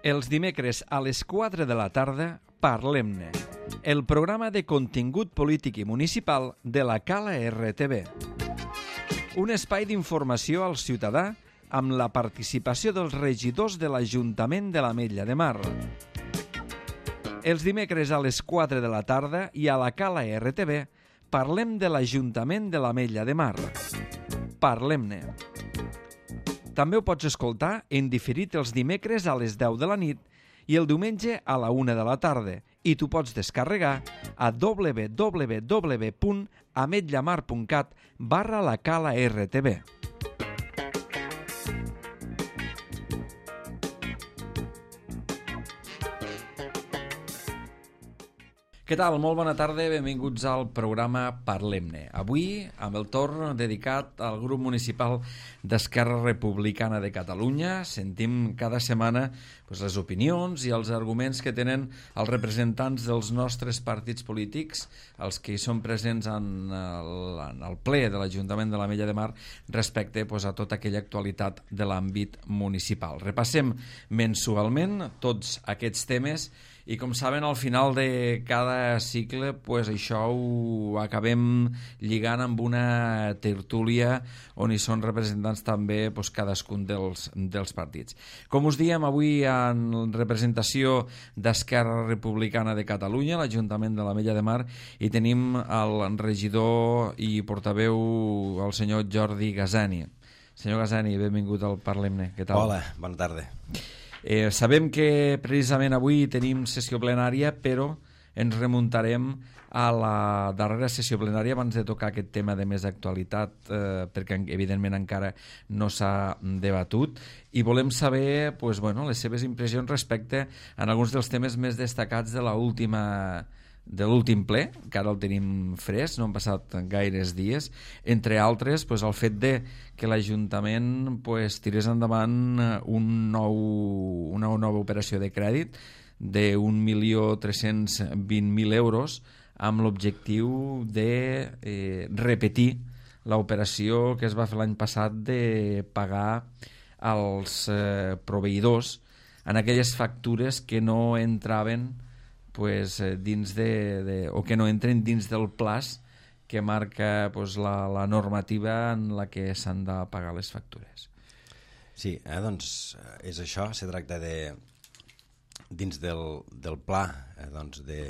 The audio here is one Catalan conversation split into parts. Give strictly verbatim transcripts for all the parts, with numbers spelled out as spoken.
Els dimecres a les quatre de la tarda, Parlem-ne, el programa de contingut polític i municipal de la Cala R T V. Un espai d'informació al ciutadà amb la participació dels regidors de l'Ajuntament de l'Ametlla de Mar. Els dimecres a les quatre de la tarda i a la Cala R T V parlem de l'Ajuntament de l'Ametlla de Mar. Parlem-ne. També ho pots escoltar en diferit els dimecres a les deu de la nit i el diumenge a la una de la tarda, i tu pots descarregar a w w w punt ametllamar punt cat barra la Cala R T V. Què tal? Molt bona tarda, benvinguts al programa Parlem-ne. Avui, amb el torn dedicat al grup municipal d'Esquerra Republicana de Catalunya, sentim cada setmana pues, les opinions i els arguments que tenen els representants dels nostres partits polítics, els que hi són presents en el, en el ple de l'Ajuntament de l'Ametlla de Mar respecte pues, a tota aquella actualitat de l'àmbit municipal. Repassem mensualment tots aquests temes i, com saben, al final de cada cicle, pues, això ho acabem lligant amb una tertúlia on hi són representants també pues, cadascun dels, dels partits. Com us diem, avui en representació d'Esquerra Republicana de Catalunya, l'Ajuntament de l'Ametlla de Mar, hi tenim el regidor i portaveu, el senyor Jordi Gazani. Senyor Gazani, benvingut al Parlem-ne. Què tal? Hola, bona tarda. Eh, sabem que precisament avui tenim sessió plenària, però ens remuntarem a la darrera sessió plenària abans de tocar aquest tema de més actualitat, eh, perquè evidentment encara no s'ha debatut, i volem saber pues, bueno, les seves impressions respecte a alguns dels temes més destacats de l'última de l'últim ple, que ara el tenim fresc, no han passat gaires dies, entre altres pues, el fet de que l'Ajuntament pues, tirés endavant un nou, una nova operació de crèdit d'un milió tres-cents vint mil euros amb l'objectiu de eh, repetir l'operació que es va fer l'any passat de pagar als eh, proveïdors en aquelles factures que no entraven pues, dins de, de, o que no entren dins del plaç que marca pues, la, la normativa en la que s'han de pagar les factures. Sí, eh, doncs és això, se tracta de dins del, del pla eh, doncs de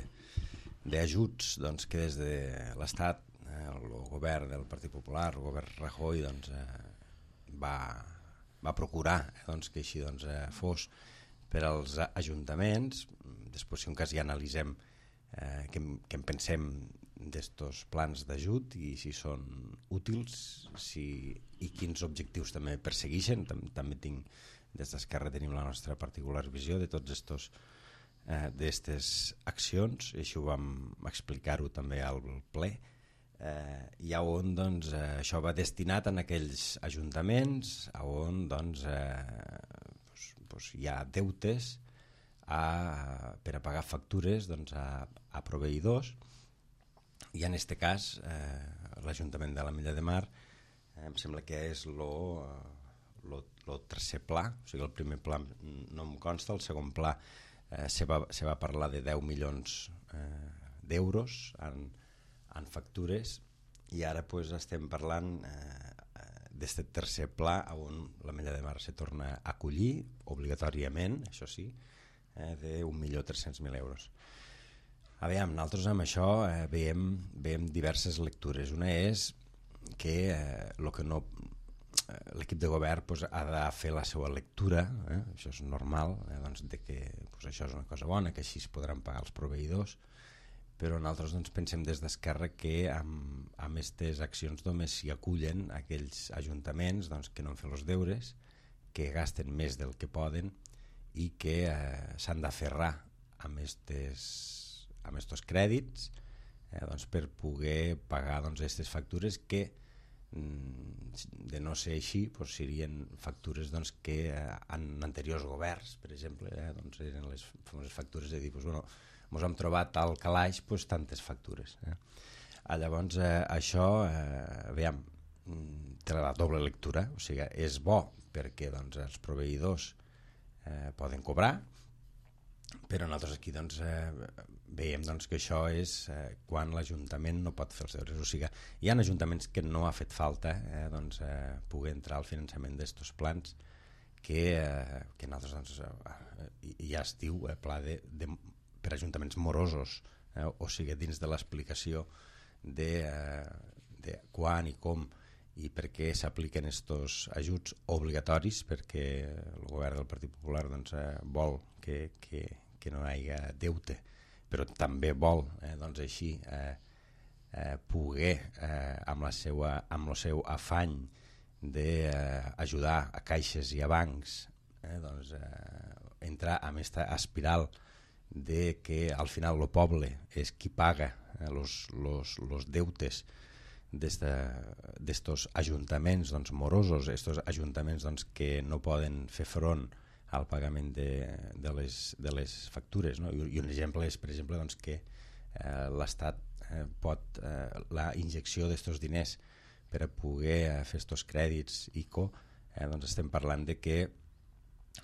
d'ajuts doncs, que des de l'Estat, eh, el govern del Partit Popular, el govern Rajoy doncs, eh, va, va procurar eh, doncs, que així doncs, eh, fos per als ajuntaments. Després, si un cas ja analitzem eh, què, què en pensem d'estos plans d'ajut i si són útils si, i quins objectius també persegueixen. Tam, també tinc, des d'Esquerra tenim la nostra particular visió de tots estos eh, d'estes accions, i això ho vam explicar-ho també al ple, eh, i a on doncs, eh, això va destinat en aquells ajuntaments a on doncs, eh, pues, pues hi ha deutes A, per a pagar factures doncs, a, a proveïdors, i en aquest cas eh, l'Ajuntament de l'Ametlla de Mar eh, em sembla que és el tercer pla, o sigui el primer pla no em consta, el segon pla eh, se, va, se va parlar de deu milions eh, d'euros en, en factures, i ara pues, estem parlant eh, d'aquest tercer pla on l'Ametlla de Mar se torna a acollir obligatòriament, això sí, d'un milió tres-cents mil euros. Aviam, nosaltres amb això eh, veiem, veiem diverses lectures. Una és que eh, lo que no eh, l'equip de govern pues, ha de fer la seva lectura, eh? Això és normal, eh? doncs, de que pues, això és una cosa bona, que així es podran pagar els proveïdors, però nosaltres doncs, pensem des d'Esquerra que amb, amb aquestes accions només s'hi acullen aquells ajuntaments doncs, que no han fet els deures, que gasten més del que poden i que eh, s'han d'aferrar amb estes, amb estos crèdits eh, doncs per poder pagar doncs, aquestes factures que mm, de no ser així doncs, serien factures doncs, que eh, en anteriors governs, per exemple, eh, doncs, eren les famoses factures de dir, doncs, bueno, ens hem trobat al calaix doncs, tantes factures. Eh. Ah, llavors, eh, això, eh, veiem, té la doble lectura, o sigui, és bo perquè doncs, els proveïdors eh, poden cobrar, però nosaltres aquí doncs, eh, veiem doncs, que això és eh, quan l'Ajuntament no pot fer els deures. O sigui, hi ha ajuntaments que no ha fet falta eh, doncs, eh, poder entrar al finançament d'estos plans que, eh, que nosaltres doncs, eh, ja es diu eh, pla de, de, per ajuntaments morosos, eh, o sigui, dins de l'explicació de, eh, de quan i com i per què s'apliquen estos ajuts obligatoris, perquè el govern del Partit Popular doncs, eh, vol que, que, que no hi hagi deute, però també vol eh, doncs així eh, eh, poder eh, amb, la seua, amb el seu afany d'ajudar eh, a caixes i a bancs eh, doncs, eh, entrar en aquesta espiral de que al final el poble és qui paga eh, los, los, los deutes d'estos ajuntaments doncs, morosos, estos ajuntaments doncs, que no poden fer front al pagament de, de, les, de les factures, no? I, i un exemple és, per exemple, doncs, que eh, l'Estat eh, pot, eh, la injecció d'estos diners per a poder eh, fer estos crèdits I C O, eh, doncs estem parlant de que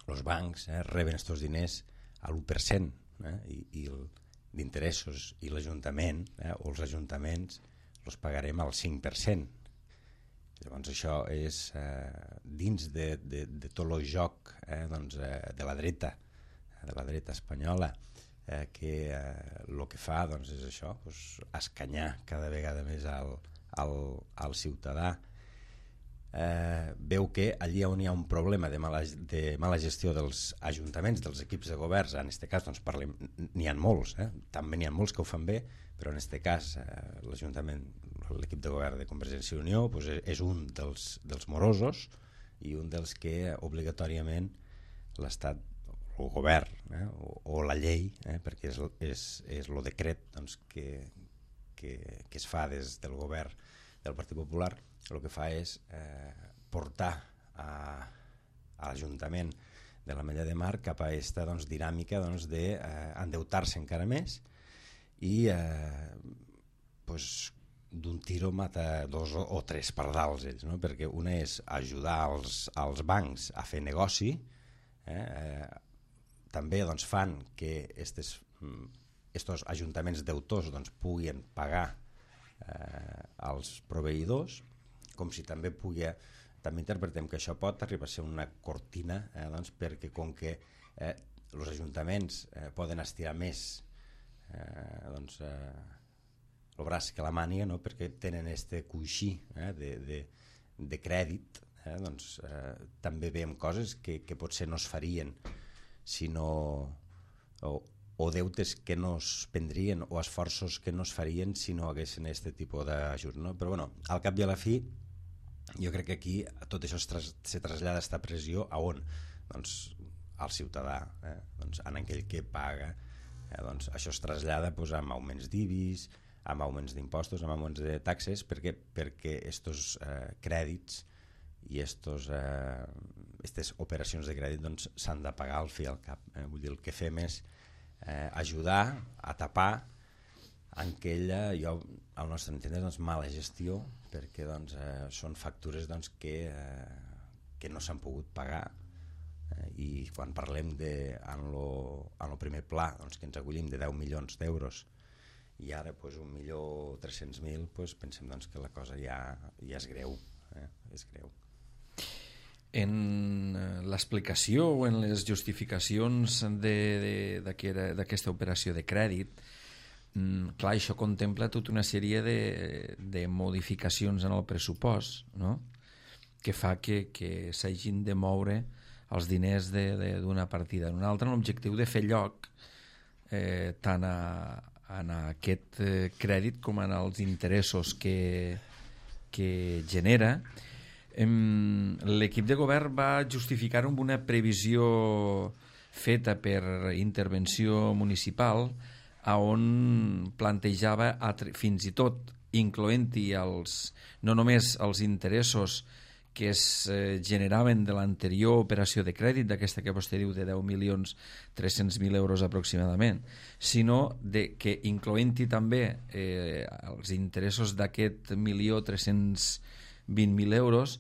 els bancs eh, reben estos diners a l'u per cent eh, i, i d'interessos, i l'Ajuntament eh, o els ajuntaments els pagarem al cinc per cent. Llavors això és eh, dins de, de, de tot el joc eh, doncs, eh, de la dreta, de la dreta espanyola, eh, que el eh, que fa doncs, és això, doncs, escanyar cada vegada més al, al, al ciutadà. Eh, veu que allí on hi ha un problema de mala, de mala gestió dels ajuntaments, dels equips de governs, en aquest cas doncs, parlem, n'hi ha molts, eh? També n'hi ha molts que ho fan bé, però en aquest cas eh, l'Ajuntament, l'equip de govern de Convergència i Unió doncs és un dels, dels morosos i un dels que obligatòriament l'Estat, el govern eh, o, o la llei, eh, perquè és, és, és el decret doncs, que, que, que es fa des del govern del Partit Popular, el que fa és eh, portar a, a l'Ajuntament de l'Ametlla de Mar cap a aquesta doncs, dinàmica doncs, d'endeutar-se eh, encara més i eh, pues, d'un tiro mata dos o, o tres pardals ells, no? Perquè una és ajudar els, els bancs a fer negoci, eh? Eh, també doncs, fan que estes, estos ajuntaments deutors doncs, puguin pagar eh, als proveïdors, com si també pugui, també interpretem que això pot arribar a ser una cortina eh, doncs, perquè com que eh, els ajuntaments eh, poden estirar més eh, doncs, eh, el braç que la màniga, no? Perquè tenen este coixí eh, de, de, de crèdit, eh, doncs, eh, també veiem coses que, que potser no es farien si no, o, o deutes que no es prendrien o esforços que no es farien si no haguessin aquest tipus d'ajut, no? Però bueno, al cap i a la fi jo crec que aquí tot això es, tras, se trasllada aquesta pressió a on? Doncs al ciutadà, eh? Doncs en aquell que paga, eh? Doncs això es trasllada doncs, amb augments d'I B I S, amb augments d'impostos, amb augments de taxes, perquè perquè estos eh, crèdits i estos, eh, estes operacions de crèdit doncs, s'han de pagar al fi al cap. Eh? Vull dir, el que fem és eh, ajudar a tapar aquella, jo, al nostre entendre, doncs, mala gestió, perquè doncs, eh, són factures doncs, que, eh, que no s'han pogut pagar. Eh? I quan parlem de, en el primer pla doncs, que ens acollim de deu milions d'euros i ara pues, un milió tres-cents mil, pues, pensem doncs, que la cosa ja, ja és greu, eh? És greu. En l'explicació o en les justificacions d'aquesta operació de crèdit, clar, això contempla tota una sèrie de, de modificacions en el pressupost, no? Que fa que, que s'hagin de moure els diners d'una partida en una altra, amb l'objectiu de fer lloc eh, tant a, en aquest eh, crèdit com en els interessos que, que genera. L'equip de govern va justificar amb una previsió feta per intervenció municipal a on plantejava fins i tot incloent-hi els, no només els interessos que es eh, generaven de l'anterior operació de crèdit, d'aquesta que vostè diu de deu milions tres-cents mil euros aproximadament, sinó de, que incloent-hi també eh, els interessos d'aquest milió tres-cents vint mil euros,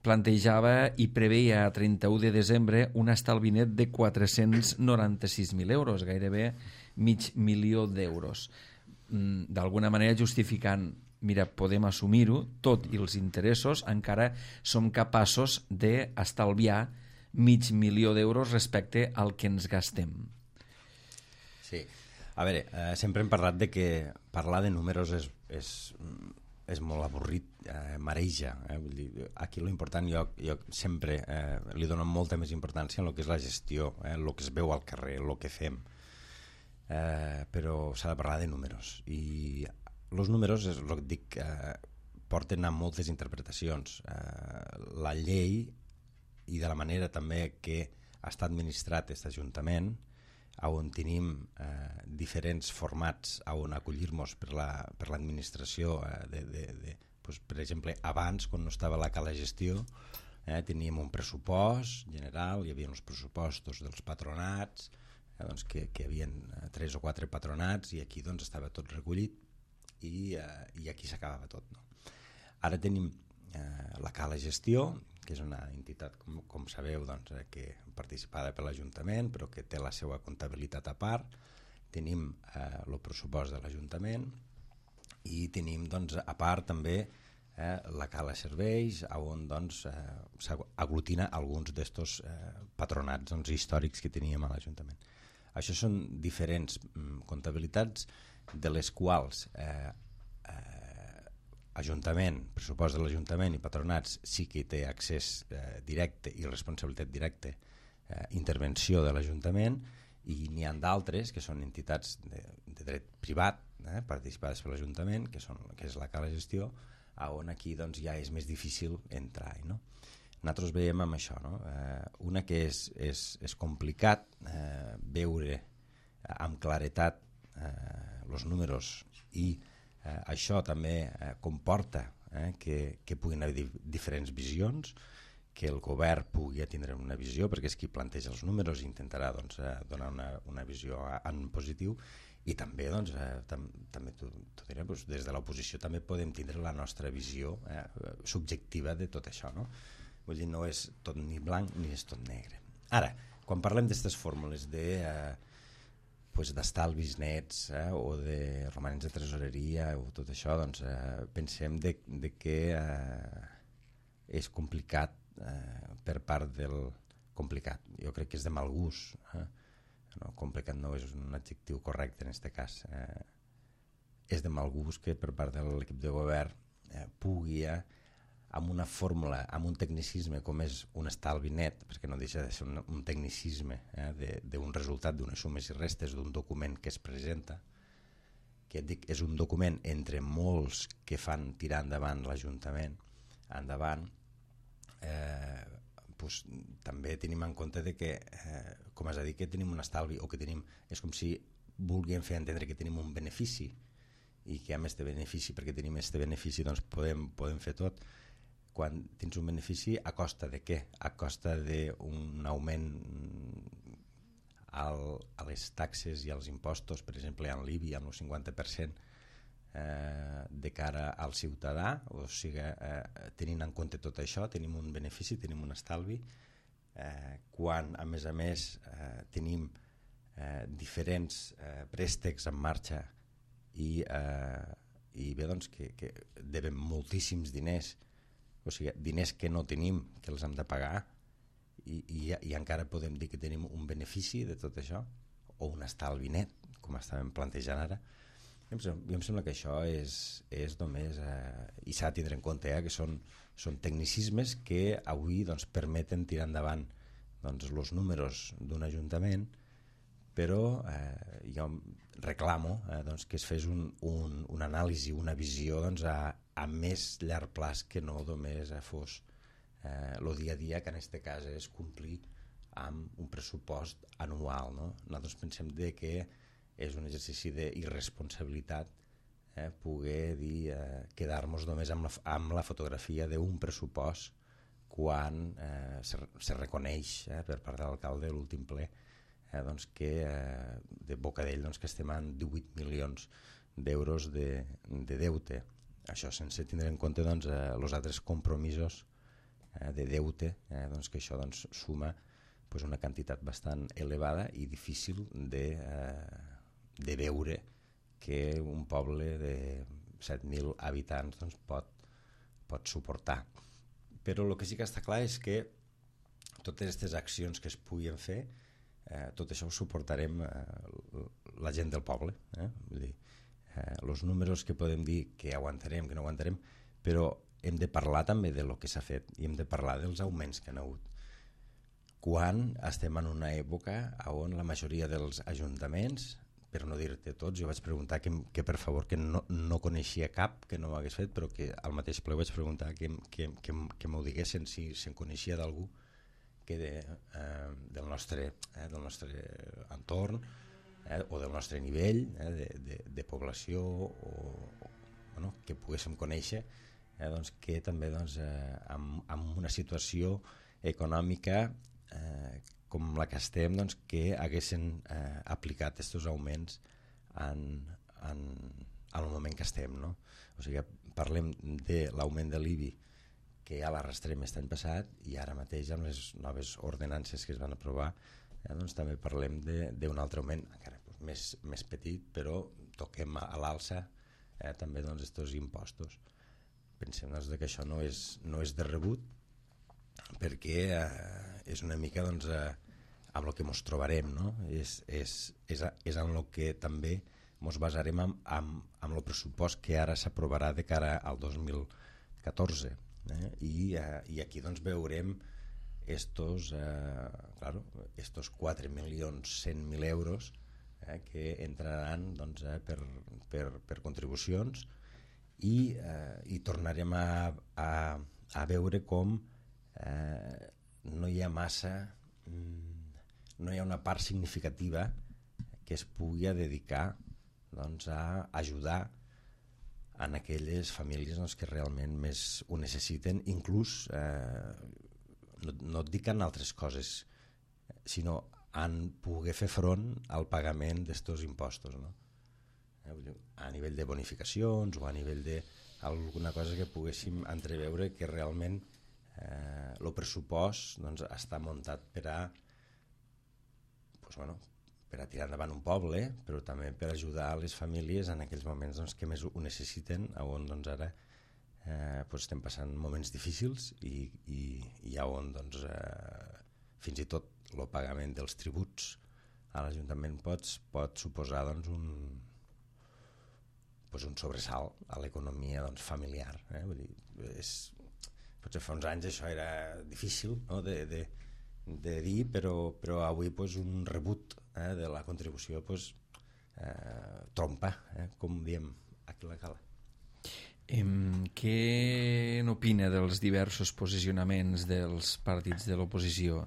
plantejava i preveia a trenta-u de desembre un estalvi net de quatre-cents noranta-sis mil euros, gairebé mig milió d'euros. D'alguna manera justificant, mira, podem assumir-ho, tot i els interessos, encara som capaços d'estalviar mig milió d'euros respecte al que ens gastem. Sí. A veure, eh, sempre hem parlat de que parlar de números és, és, és molt avorrit, eh, mareja. Eh? Vull dir, aquí l'important, jo, jo sempre eh, li dono molta més importància en el que és la gestió, eh, el que es veu al carrer, el que fem. Eh, però s'ha de parlar de números. I els números, és el que dic, eh, porten a moltes interpretacions. Eh, la llei i de la manera també que està administrat aquest Ajuntament, on tenim eh, diferents formats on acollir-nos per l'administració la, per eh, de, de, de, pues, per exemple, abans, quan no estava la cala gestió, eh, teníem un pressupost general, hi havia els pressupostos dels patronats, eh, doncs, que, que hi havia tres o quatre patronats i aquí doncs, estava tot recollit i, eh, i aquí s'acabava tot. No? Ara tenim eh, la cala gestió, que és una entitat, com, com sabeu, doncs, eh, que participada per l'Ajuntament, però que té la seva comptabilitat a part. Tenim eh, el pressupost de l'Ajuntament i tenim, doncs, a part també eh, la cala serveis, on doncs, eh, s'aglutina alguns d'estos eh, patronats doncs, històrics que teníem a l'Ajuntament. Això són diferents mm, comptabilitats de les quals eh, Ajuntament, pressupost de l'Ajuntament i patronats sí que té accés eh, directe i responsabilitat directa, eh, intervenció de l'Ajuntament, i n'hi ha d'altres que són entitats de, de dret privat, eh, participades per l'Ajuntament, que, són, que és la cala gestió, on aquí doncs, ja és més difícil entrar. No? Nosaltres veiem amb això, no? eh, una que és, és, és complicat eh, veure amb claretat els eh, números i Eh, això també eh, comporta eh, que, que puguin haver di diferents visions, que el govern pugui tindre una visió, perquè és qui planteja els números i intentarà doncs, eh, donar una, una visió en positiu, i també, doncs, eh, tam també t'ho diré, doncs, des de l'oposició també podem tindre la nostra visió eh, subjectiva de tot això. No? Vull dir, no és tot ni blanc ni és tot negre. Ara, quan parlem d'aquestes fórmules de... Eh, pues, d'estalvis nets eh, o de romanents de tresoreria o tot això, doncs eh, pensem de, de que eh, és complicat eh, per part del complicat. Jo crec que és de mal gust. Eh? No, complicat no és un adjectiu correcte en aquest cas. Eh, és de mal gust que per part de l'equip de govern eh, pugui eh, amb una fórmula, amb un tecnicisme com és un estalvi net, perquè no deixa de ser un, un tecnicisme eh, d'un resultat, d'unes sumes i restes, d'un document que es presenta, que et dic, és un document entre molts que fan tirar endavant l'Ajuntament, endavant, eh, pues, també tenim en compte de que, eh, com has dit, que tenim un estalvi, o que tenim, és com si vulguem fer entendre que tenim un benefici, i que amb aquest benefici, perquè tenim aquest benefici, doncs podem, podem fer tot. Quan tens un benefici, a costa de què? A costa d'un augment al, a les taxes i als impostos, per exemple, en l'I B I, amb el cinquanta per cent eh, de cara al ciutadà, o sigui, eh, tenint en compte tot això, tenim un benefici, tenim un estalvi, eh, quan, a més a més, eh, tenim eh, diferents eh, préstecs en marxa i, eh, i bé, doncs, que, que devem moltíssims diners, o sigui, diners que no tenim, que els hem de pagar, i, i, i encara podem dir que tenim un benefici de tot això, o un estalvi net, com estàvem plantejant ara. Jo em sembla, jo em sembla que això és, és només, eh, i s'ha de tindre en compte, eh, que són, són tecnicismes que avui doncs, permeten tirar endavant doncs, els números d'un ajuntament, però eh, jo reclamo eh, doncs, que es fes un, un, una anàlisi, una visió doncs, a, a més llarg plaç, que no només eh, fos el eh, dia a dia, que en aquest cas és complir amb un pressupost anual. No? Nosaltres pensem de que és un exercici d'irresponsabilitat eh, poder dir eh, quedar-nos només amb la, amb la fotografia d'un pressupost quan eh, se, se reconeix eh, per part de l'alcalde de l'últim ple eh, doncs que eh, de boca d'ell doncs que estem en divuit milions d'euros de, de deute. Això sense tindre en compte doncs, eh, els altres compromisos eh, de deute, eh, doncs que això doncs, suma pues, una quantitat bastant elevada i difícil de, eh, de veure que un poble de set mil habitants doncs, pot, pot suportar. Però el que sí que està clar és que totes aquestes accions que es puguin fer, eh, tot això ho suportarem eh, la gent del poble. Eh? Vull dir, eh, els números que podem dir que aguantarem, que no aguantarem, però hem de parlar també de lo que s'ha fet i hem de parlar dels augments que han hagut. Quan estem en una època on la majoria dels ajuntaments, per no dir-te tots, jo vaig preguntar que, que per favor que no, no coneixia cap que no ho hagués fet, però que al mateix ple vaig preguntar que, que, que, que m'ho diguessin si se'n coneixia d'algú que de, eh, del, nostre, eh, del nostre entorn eh, o del nostre nivell eh, de, de, de població o, o bueno, que poguéssim conèixer eh, doncs, que també doncs, eh, amb, amb una situació econòmica eh, com la que estem, doncs, que haguessin eh, aplicat aquests augments en, en, en el moment que estem. No? O sigui, parlem de l'augment de l'I B I que ja l'arrastrem aquest any passat i ara mateix amb les noves ordenances que es van aprovar eh, doncs, també parlem d'un altre augment, encara doncs, més, més petit, però toquem a, a l'alça eh, també doncs, estos impostos. Pensem doncs, que això no és, no és de rebut perquè eh, és una mica doncs, eh, amb el que ens trobarem, no? és, és, és, és en el que també ens basarem amb, amb, amb el pressupost que ara s'aprovarà de cara al dos mil catorze. Eh? I, eh, I aquí doncs, veurem estos, eh, claro, estos quatre milions cent mil euros eh, que entraran doncs, eh, per, per, per contribucions i, eh, i tornarem a, a, a veure com eh, no hi ha massa no hi ha una part significativa que es pugui dedicar doncs, a ajudar en aquelles famílies doncs, que realment més ho necessiten, inclús eh, no, no et dic en altres coses sinó en poder fer front al pagament d'estos impostos, no? A nivell de bonificacions o a nivell d'alguna cosa que poguéssim entreveure que realment eh, el pressupost doncs, està muntat per a pues, bueno, per a tirar endavant un poble, però també per ajudar a les famílies en aquells moments doncs, que més ho necessiten, on doncs, ara eh, pues, estem passant moments difícils i, i, i on doncs, eh, fins i tot el pagament dels tributs a l'Ajuntament pot, pot suposar doncs, un, pues, un sobresalt a l'economia doncs, familiar. Eh? Vull dir, és, potser fa uns anys això era difícil, no? de, de, de dir, però, però avui pues, un rebut eh, de la contribució pues, eh, trompa, eh, com diem aquí a la cala. Em, què n'opina dels diversos posicionaments dels partits de l'oposició?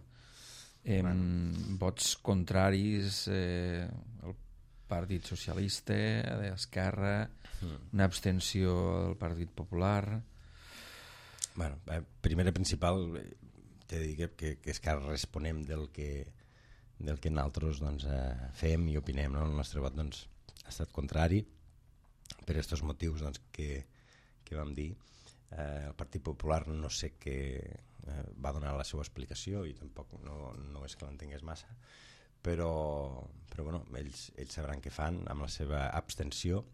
Em, bueno. Vots contraris, eh, el Partit Socialista, d'Esquerra, mm. una abstenció del Partit Popular... Bueno, eh, primera principal, t'he de dir que, que, que és que responem del que, del que nosaltres doncs, eh, fem i opinem. No? El nostre vot doncs, ha estat contrari per aquests motius doncs, que, que vam dir. Eh, el Partit Popular no sé què eh, va donar la seva explicació i tampoc no, no és que l'entengués massa, però, però bueno, ells, ells sabran què fan amb la seva abstenció,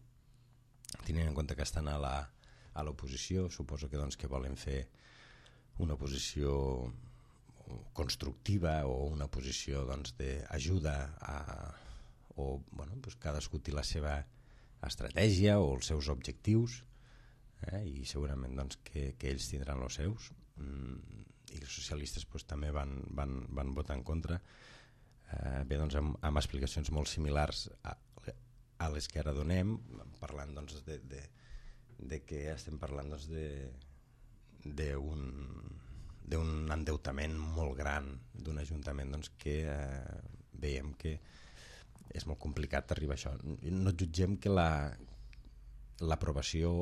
tenint en compte que estan a la a l'oposició, suposo que, doncs, que volen fer una posició constructiva o una posició doncs, d'ajuda a, o bueno, doncs cadascú té la seva estratègia o els seus objectius eh, i segurament doncs, que, que ells tindran els seus mm, i els socialistes doncs, també van, van, van votar en contra eh, bé, doncs, amb, amb explicacions molt similars a, a les que ara donem, parlant doncs, de, de de que estem parlant doncs, d'un d'un endeutament molt gran d'un ajuntament doncs, que eh, veiem que és molt complicat arribar a això. No jutgem que la l'aprovació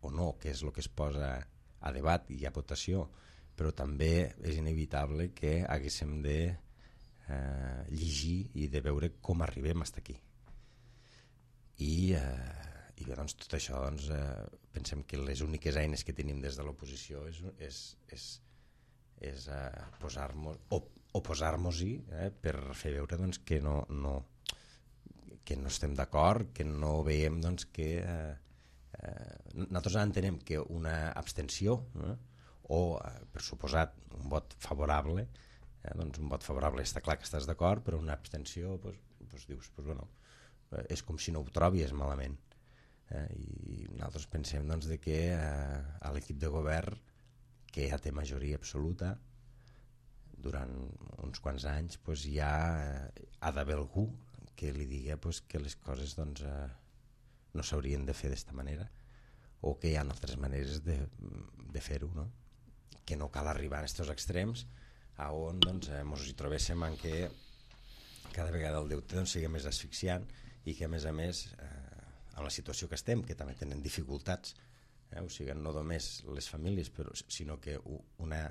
o no, que és el que es posa a debat i a votació, però també és inevitable que haguéssim de eh, llegir i de veure com arribem fins aquí. I eh, i bé, doncs, tot això doncs, eh, pensem que les úniques eines que tenim des de l'oposició és, és, és és eh, posar-nos, o, oposar-nos-hi eh, per fer veure doncs, que, no, no, que no estem d'acord, que no veiem doncs, que... Eh, eh, nosaltres entenem que una abstenció eh, o, eh, per suposat, un vot favorable, eh, doncs un vot favorable està clar que estàs d'acord, però una abstenció pues, pues dius, pues, bueno, és com si no ho trobis malament. Eh, I nosaltres pensem doncs, de que eh, a l'equip de govern, que ja té majoria absoluta, durant uns quants anys pues, ja eh, ha d'haver algú que li digui pues, que les coses doncs, eh, no s'haurien de fer d'esta manera, o que hi ha altres maneres de, de fer-ho, no? Que no cal arribar a aquests extrems a on doncs, eh, ens hi trobéssim en què cada vegada el deute doncs, sigui més asfixiant i que a més a més eh, en la situació que estem, que també tenen dificultats, eh, o sigui, no només les famílies, però, sinó que una,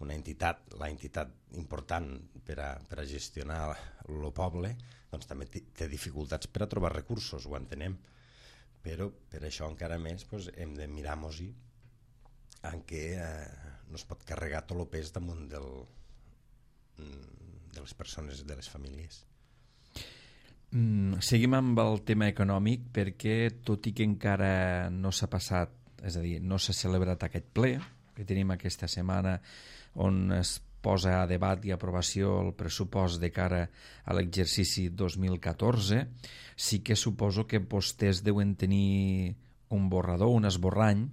una entitat, la entitat important per a, per a gestionar el poble, doncs també té dificultats per a trobar recursos, ho entenem, però per això encara més doncs, hem de mirar-nos-hi en què eh, no es pot carregar tot el pes damunt del, de les persones, de les famílies. Mm, seguim amb el tema econòmic perquè tot i que encara no s'ha passat, és a dir, no s'ha celebrat aquest ple que tenim aquesta setmana on es posa a debat i aprovació el pressupost de cara a l'exercici dos mil catorze, sí que suposo que vostès deuen tenir un borrador, un esborrany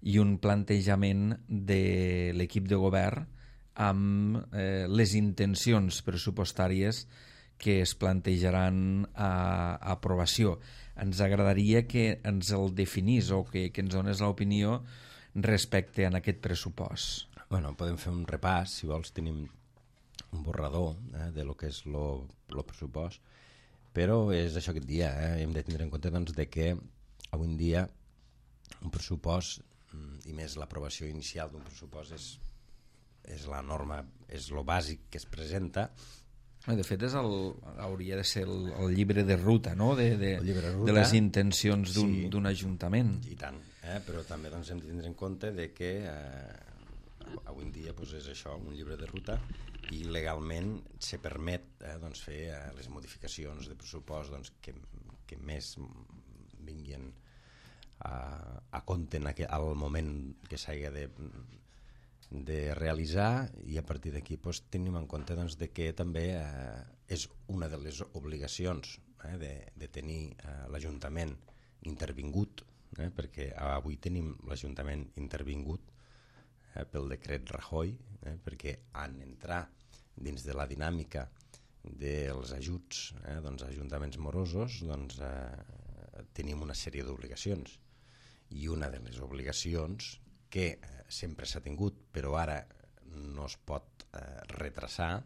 i un plantejament de l'equip de govern amb eh, les intencions pressupostàries que es plantejaran a, a aprovació. Ens agradaria que ens el definís o que, que ens dones l'opinió respecte a aquest pressupost. Bueno, podem fer un repàs, si vols tenim un borrador eh, de lo que és el pressupost, però és això que et dia, eh? Hem de tindre en compte doncs, de que avui en dia un pressupost, i més l'aprovació inicial d'un pressupost, és, és la norma, és lo bàsic que es presenta. De fet, és el, hauria de ser el, el llibre de ruta, no? de, de, de, ruta, de les intencions d'un sí, ajuntament. I tant, eh? Però també doncs, hem de tindre en compte de que eh, avui en dia doncs, és això, un llibre de ruta, i legalment se permet eh, doncs, fer eh, les modificacions de pressupost doncs, que, que més vinguin a, a compte en aquel, al moment que s'hagi de de realitzar, i a partir d'aquí doncs, tenim en compte doncs, de que també eh, és una de les obligacions eh, de, de tenir eh, l'Ajuntament intervingut, eh, perquè avui tenim l'Ajuntament intervingut eh, pel decret Rajoy, eh, perquè han entrar dins de la dinàmica dels ajuts eh, doncs, ajuntaments morosos, doncs, eh, tenim una sèrie d'obligacions, i una de les obligacions que eh, sempre s'ha tingut, però ara no es pot eh, retrasar,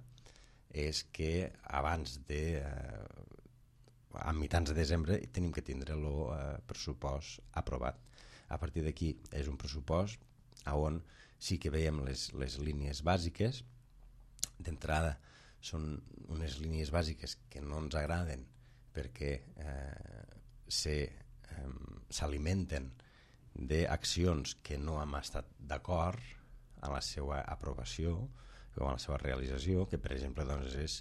és que abans de, eh, a mitjans de desembre, tenim que tindre el eh, pressupost aprovat. A partir d'aquí és un pressupost on sí que veiem les, les línies bàsiques. D'entrada són unes línies bàsiques que no ens agraden perquè eh, se, eh, s'alimenten d'accions que no hem estat d'acord a la seva aprovació o a la seva realització, que per exemple doncs, és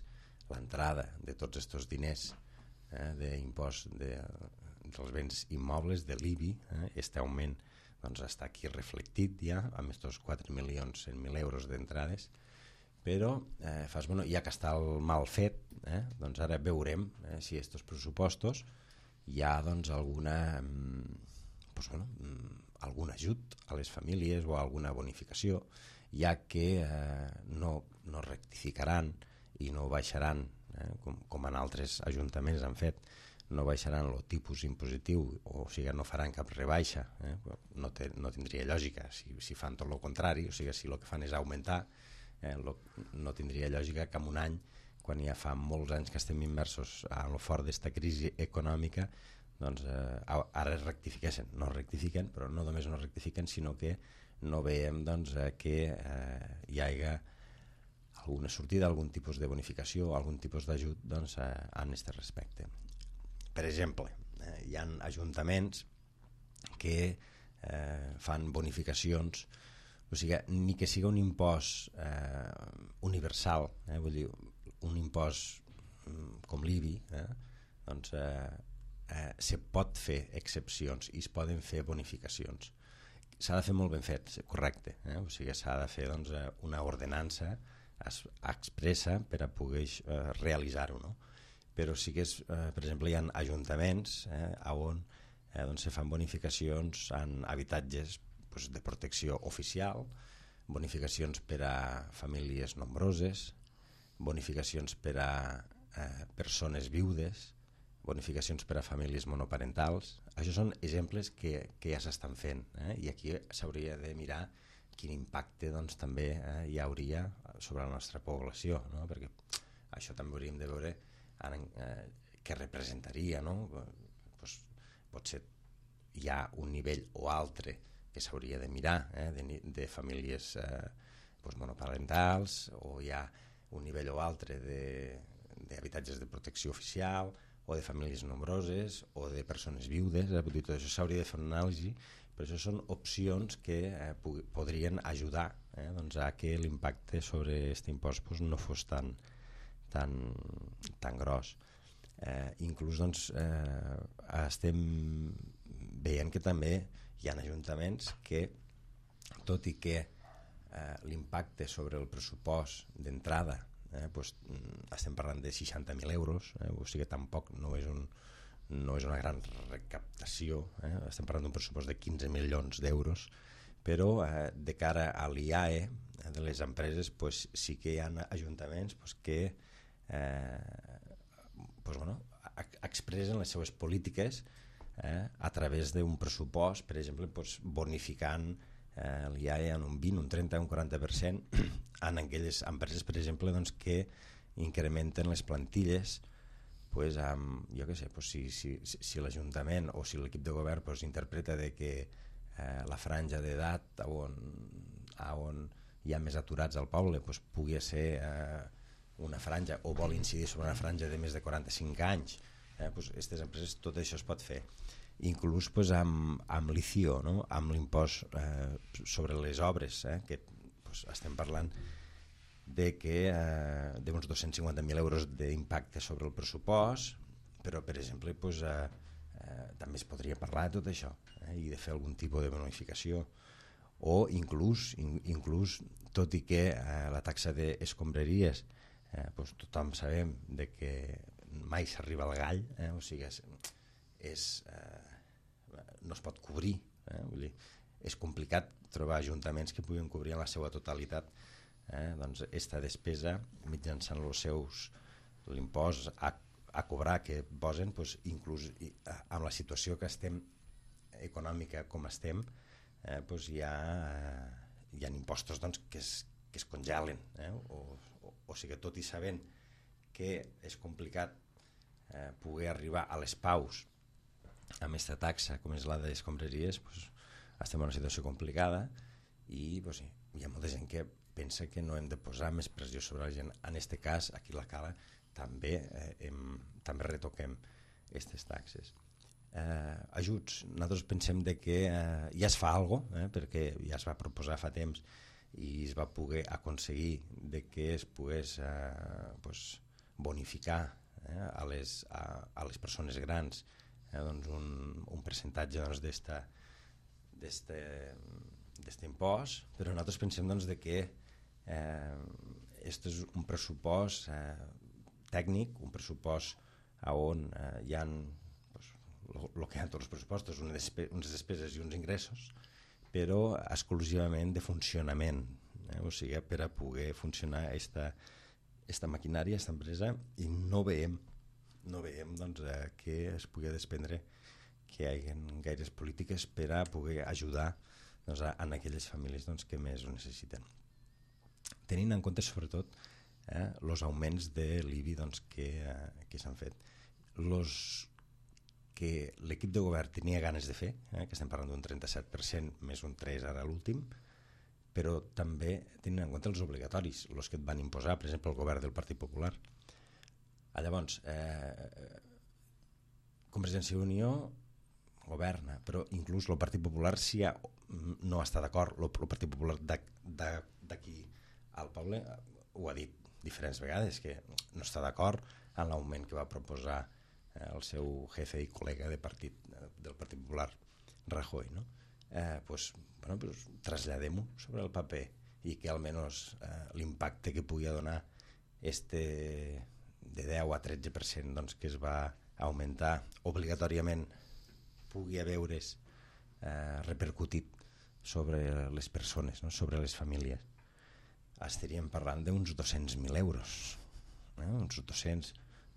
l'entrada de tots aquests diners eh, d'impost de, dels béns immobles, de l'I B I, eh, este augment doncs, està aquí reflectit ja amb aquests quatre milions cent mil euros d'entrades, però eh, fas, bueno, ja que està el mal fet, eh, doncs ara veurem eh, si aquests pressupostos hi ha doncs, alguna... Pues, bueno, algun ajut a les famílies o alguna bonificació, ja que eh, no, no rectificaran i no baixaran, eh, com, com en altres ajuntaments han fet, no baixaran el tipus impositiu, o sigui, no faran cap rebaixa, eh? no, te, no tindria lògica si, si fan tot el contrari, o sigui, si el que fan és augmentar, eh, lo, no tindria lògica que en un any, quan ja fa molts anys que estem immersos a lo fort d'esta crisi econòmica, doncs eh, ara es rectifiquessin, no rectifiquen, però no només no rectifiquen, sinó que no veiem doncs, eh, que eh, hi hagi alguna sortida, algun tipus de bonificació, algun tipus d'ajut doncs, eh, en aquest respecte. Per exemple, eh, hi ha ajuntaments que eh, fan bonificacions o sigui, ni que sigui un impost eh, universal, eh, vull dir, un impost com l'I B I, eh, doncs eh, eh, se pot fer excepcions i es poden fer bonificacions. S'ha de fer molt ben fet, correcte, eh? O sigui, s'ha de fer doncs, una ordenança expressa per a poder eh, realitzar-ho, no? Però sí que, és, eh, per exemple, hi ha ajuntaments eh, on eh, doncs se fan bonificacions en habitatges pues, de protecció oficial, bonificacions per a famílies nombroses, bonificacions per a eh, persones viudes, bonificacions per a famílies monoparentals. Això són exemples que, que ja s'estan fent, eh? I aquí s'hauria de mirar quin impacte doncs, també eh, hi hauria sobre la nostra població, no? Perquè això també hauríem de veure en, eh, què representaria, no? Pues, potser hi ha un nivell o altre que s'hauria de mirar eh, de, de famílies eh, pues, monoparentals, o hi ha un nivell o altre d'habitatges de, de protecció oficial, o de famílies nombroses, o de persones viudes, eh? Tot això s'hauria de fer una anàlisi, però això són opcions que eh, podrien ajudar eh, doncs a que l'impacte sobre aquest impost pues, no fos tan, tan, tan gros. Eh, inclús doncs, eh, estem veient que també hi ha ajuntaments que, tot i que eh, l'impacte sobre el pressupost d'entrada Eh, pues, estem parlant de seixanta mil euros, eh, o sigui que tampoc no és, un, no és una gran recaptació, eh, estem parlant d'un pressupost de quinze milions d'euros, però eh, de cara a l'I A E eh, de les empreses pues, sí que hi ha ajuntaments pues, que eh, pues, bueno, expressen les seues polítiques eh, a través d'un pressupost, per exemple, pues, bonificant eh, l'I A E en un vint, un trenta, un quaranta per cent en aquelles empreses, per exemple, doncs, que incrementen les plantilles pues, amb, jo què sé, pues, si, si, si l'Ajuntament o si l'equip de govern pues, interpreta de que eh, la franja d'edat on, on hi ha més aturats al poble pues, pugui ser eh, una franja, o vol incidir sobre una franja de més de quaranta-cinc anys, eh, pues, aquestes empreses, tot això es pot fer. Inclús pues, amb, amb l'I C I O, no? Amb l'impost eh, sobre les obres, eh, que pues, estem parlant de que eh, d'uns dos-cents cinquanta mil euros d'impacte sobre el pressupost, però per exemple pues, eh, eh, també es podria parlar de tot això eh, i de fer algun tipus de bonificació, o inclús, in, inclús tot i que eh, la taxa d'escombraries eh, pues, tothom sabem de que mai s'arriba al gall, eh, o sigui és, és, eh, no es pot cobrir, eh, vull dir, és complicat trobar ajuntaments que puguin cobrir en la seva totalitat eh, doncs esta despesa mitjançant els seus l'impost a, a cobrar que posen, doncs, inclús amb la situació que estem econòmica com estem eh, doncs hi ha, eh, hi ha impostos doncs, que, es, que es congelen eh, o, o, o sigui, tot i sabent que és complicat eh, poder arribar a les paus amb aquesta taxa com és la de les escombraries, doncs, estem en una situació complicada i doncs, sí, hi ha molta gent que pensa que no hem de posar més pressió sobre la gent. En aquest cas, aquí a la Cala també, eh, hem, també retoquem aquestes taxes. Eh, ajuts, nosaltres pensem de que eh, ja es fa alguna cosa, eh, perquè ja es va proposar fa temps i es va poder aconseguir de que es pogués eh, pues, bonificar eh, a, les, a, a les persones grans eh, doncs un, un percentatge doncs, d'esta d'aquest impost, però nosaltres pensem doncs, de que eh, este és un pressupost eh, tècnic, un pressupost on eh, hi ha pues, el que hi ha en tots els pressupostos, unes, despe unes despeses i uns ingressos, però exclusivament de funcionament, eh? O sigui, per a poder funcionar esta, esta maquinària, esta empresa, i no veiem, no veiem doncs, eh, que es pugui desprendre que hi hagi gaires polítiques per a poder ajudar doncs, a, a aquelles famílies doncs, que més ho necessiten. Tenint en compte sobretot eh, els augments de l'I B I doncs, que, eh, que s'han fet. Los que l'equip de govern tenia ganes de fer, eh, que estem parlant d'un trenta-set per cent més un tres per cent ara l'últim, però també tenint en compte els obligatoris, els que et van imposar, per exemple, el govern del Partit Popular. Ah, llavors, eh, Convergència i Unió governa, però inclús el Partit Popular si ha, no està d'acord, el Partit Popular d'aquí al poble ho ha dit diferents vegades, que no està d'acord en l'augment que va proposar eh, el seu jefe i col·lega de partit, del Partit Popular, Rajoy, no? Eh, pues, bueno, pues, traslladem-ho sobre el paper i que almenys eh, l'impacte que pugui donar este de deu a tretze per cent doncs, que es va augmentar obligatòriament pugui veure's eh, repercutit sobre les persones, no? Sobre les famílies. Estaríem parlant d'uns dos-cents mil euros, eh? uns dos-cents,